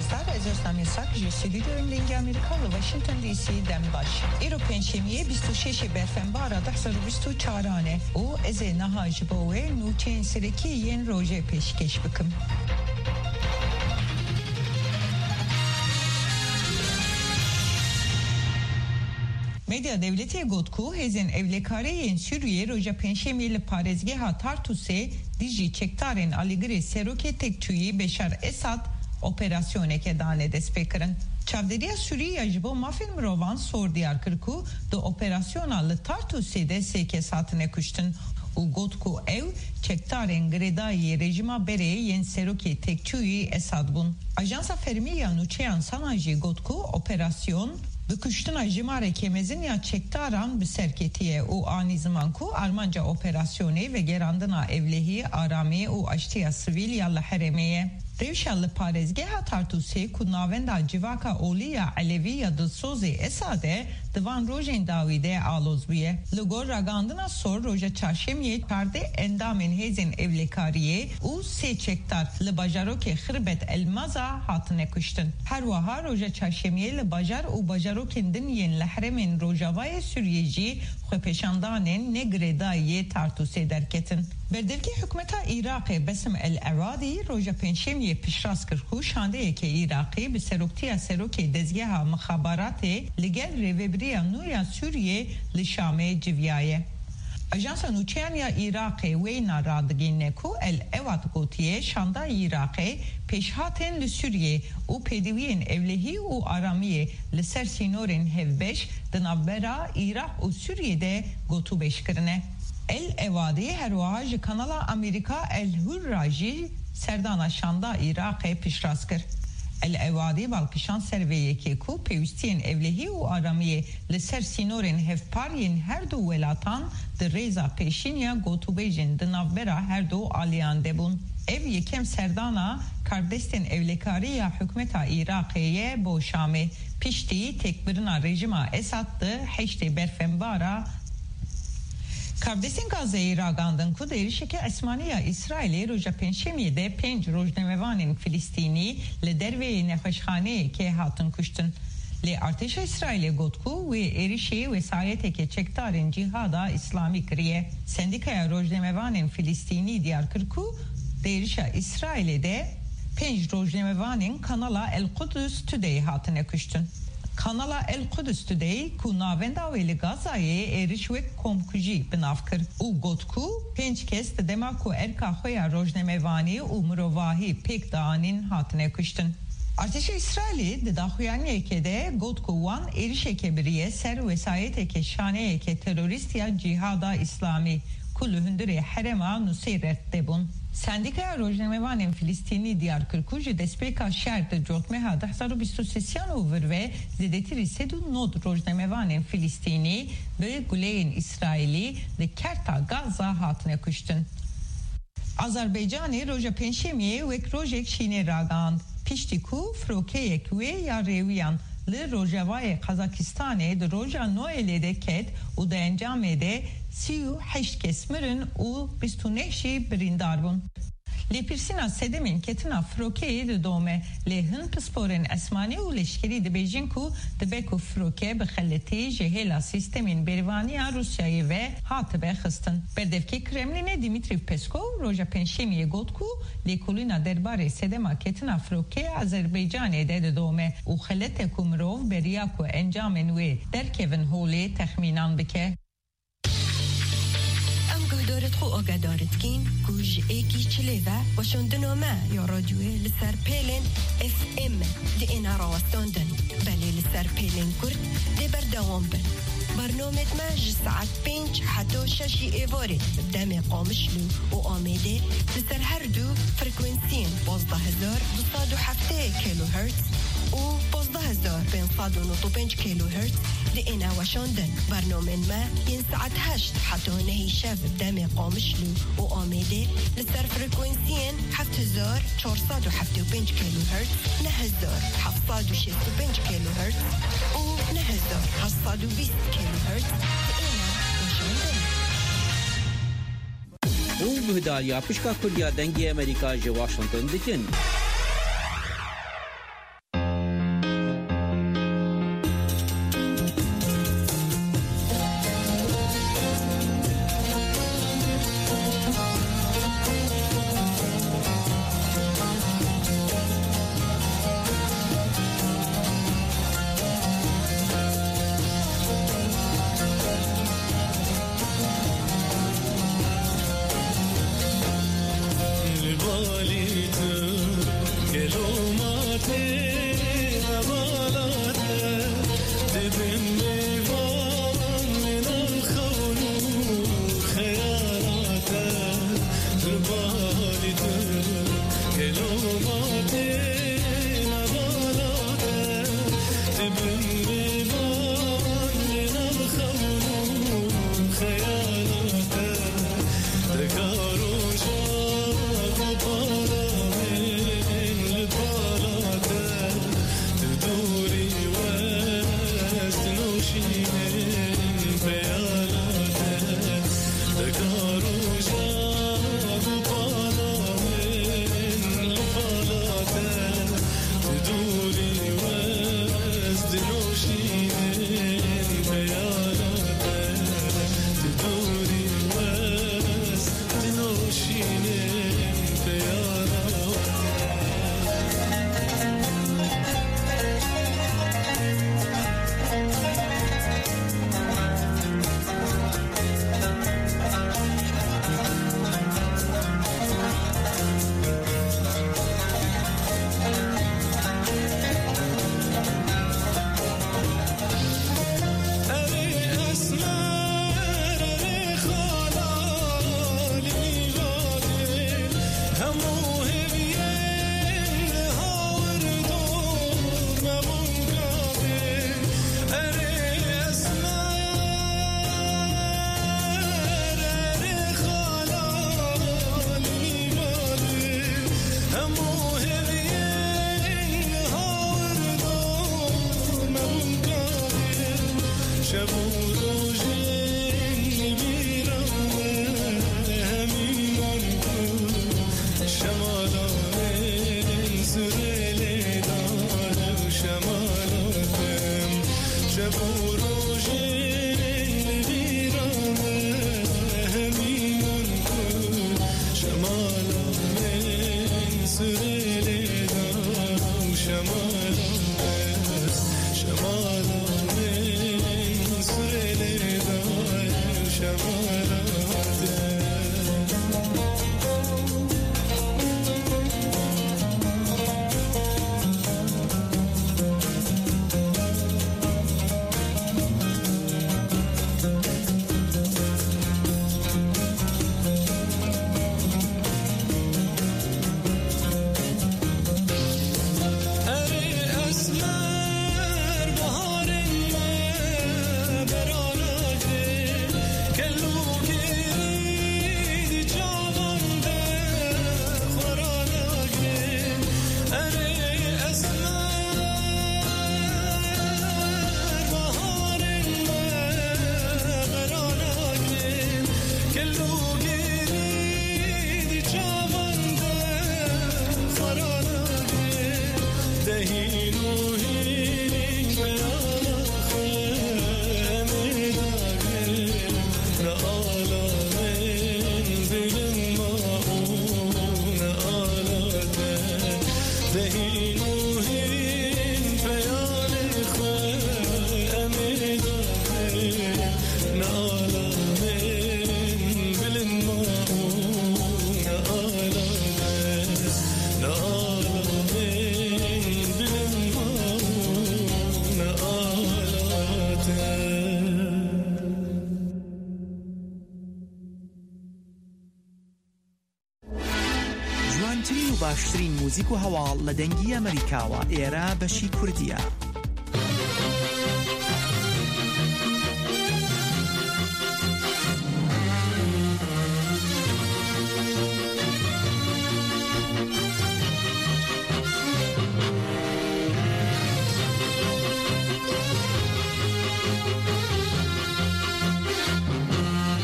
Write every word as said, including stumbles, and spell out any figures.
Star, ez Özlem Yasak, ji stûdyoyên Dengê Amerîka li Washington D C dem baş. Îro Pêncşemiyê bîst û şeş Berfenbara du hezar û bîst û çaran e û ez ê niha ji bo we nûçeyên serekî yên rojê pêşkêş bikim. Medya dewletê got ku hêzên ewlekarê yên Sûriyê roja Pêncşemiyê li parêzgeha Tartûsê dijî çekdarên alîgirê serokê têkçûyî Beşar Esad operasyoneke dane destpêkirin. Çavdêriya Sûrî ya ji bo mafên mirovan sor diyar kir ku di operasyona li Tartûsê de sê kes hatine kuştin û got ku ew çekdarên girêdayî yê rejîma berê yên serokê têkçûyî Esad bûn. Ajansa fermî ya nûçeyan SANA jî got ku operasyon bi kuştina jimareke mezin ya çekdaran bi ser ketiye û anî ziman ku armanca operasyonê vegerandina ewlehî, aramî û aştiya sivîl ya li herêmê ye. Rewşa li parêzgeha Tartûsê ku navenda civaka olî ya Elewî ya dilsozê Esad e, di van rojên dawî de aloz bûye. Li gor ragihandina sor, roja çarşemiyê çardeh endamên hêzên ewlekariyê û sê çekdar li bajarokê Xirbet El Maza hatine kuştin. Her wiha roja çarşemiyê li bajar û bajarokên din yên li herêmên rojavayê Sûriyê jî xwepêşandanên ne girêdayî yê Tartûsê derketin. Berdevkê hikûmeta Iraqê Besim El Ewadi roja Pêncşemiyê piştrast kir ku şandeyeke Iraqî bi seroktiya serokê dezgeha mixabaratê li gel rêvebiriya nû ya Sûriyê li Şamê civiyaye. Ajansa nûçeyan ya Iraqê wêna radigihîne ku El Ewad gotiye şanda Iraqê pêşhatên li Sûriyê û pêdiviyên ewlehî û aramiyê li ser sînorên hevbeş di navbera Iraq û Sûriyê de gotûbêj kirine. El Ewadi her wiha ji kanala Amerîka El Hurra jî serdana şanda Iraqê piştrast kir. El Ewadi bal kişand ser vê yekê ku pêwîstiyên ewlehî û aramiyê li ser sînorên hevpar yên her du welatan di rêza pêşîn ya gotûbêjên di navbera her du aliyan de bûn. Ev yekem serdana karbidestên ewlekarî ya hikûmeta Iraqê ye bo Şamê, piştî têkbirina rejîma Esad di heştê Berfenbara. Karbidestên Gazeyê ragandin ku di êrişeke esmanî ya Îsraîlê roja Pêncşemiyê de pênc rojnamevanên Filistînî li derveyê nexweşxaneyekê hatin kuştin. Lê artêşa Îsraîlê got ku wê êrişê wesayeteke çekdarên Cîhada Îslamî kiriye. Sendîkaya Rojnamevanên Filistînî diyar kir ku di êrişa Îsraîlê de pênc rojnamevanên kanala El Qudus Today hatine kuştin. Kanala El Qudus Today, ku navenda wê li Gazayê êriş wek komkujî bi nav kir û got ku pênc kes di dema ku erka xwe ya rojnamevanî û mirovahî pêk dianîn hatine kuştin. Artêşa Îsraîlê di daxuyaniyekê de got ku wan êrişeke biriye ser wesayeteke şaneyeke terorîst ya Cîhada Îslamî ku li hundirê herêma Nuseyret de bûn. Sendîkaya Rojnamevanên Filistînî diyar kir ku ji destpêka şer di cotmeha du hezar û bîst û sêyan û vir ve zêdetirî sed û nod rojnamevanên Filistînî bi guleyên Îsraîlî li kerta Gaza hatine kuştin. Azerbaycanê roja Pêncşemiyê wek rojek şînê ragihand, piştî ku firokeyek wê ya rêwiyan li rojavayê Qazakistanê di roja Noelê de ket û di encamê de sî û heşt kes mirin û bîst û neh jî birîndar bûn. Lêpirsîna sedemên ketina firokeyê didome, lê hin pisporên esmanî û leşkerî dibêjin ku dibe ku firoke bi xeletî ji hêla sîstemên berevaniya Rûsyayê ve hatibe xistin. Berdevkê Kremlînê Dimitrî Peskov roja Pêncşemiyê got ku lêkolîna derbarê sedema ketina firokeyê Azerbaycanê de didome û xelet e ku mirov beriya ku encamên wê derkevin holê texmînan bike. Em guhdarêt xwe agahdarî dikîn ku ji êkî çilê ve weşandina me ya radyoyê li ser pêlên F M diêne rawestandin, belê li ser pêlên kurt dê berdewam bin. Bernamêt me ji saet pênc heta şeşî êvarê bi demê Qamişlo û Amêdê li ser her du frekwensiyên pazdeh hezar du sed û heftê kilohertz û pazdeh hezar pênc sed û nod û pênc kilohertz diêne weşandin. Bernamên me yên saet heşt heta nehî şev bi demê Qamişlo û Amêdê li ser frekwensiyên heft hezar çar sed û heftê û pênc kilohertz, neh hezar heft sed û şêst û pênc kilohertz û neh hezar heft sed û bîst kilohertz diêne weşandin. Hûn guhdariya Pişka Kurdiya Dengê Amerîka ji Washington dikin. جوانترین و باشترین موزیک و هەواڵ لە دەنگی ئەمریکاوە، ئێرە بەشی کوردیە.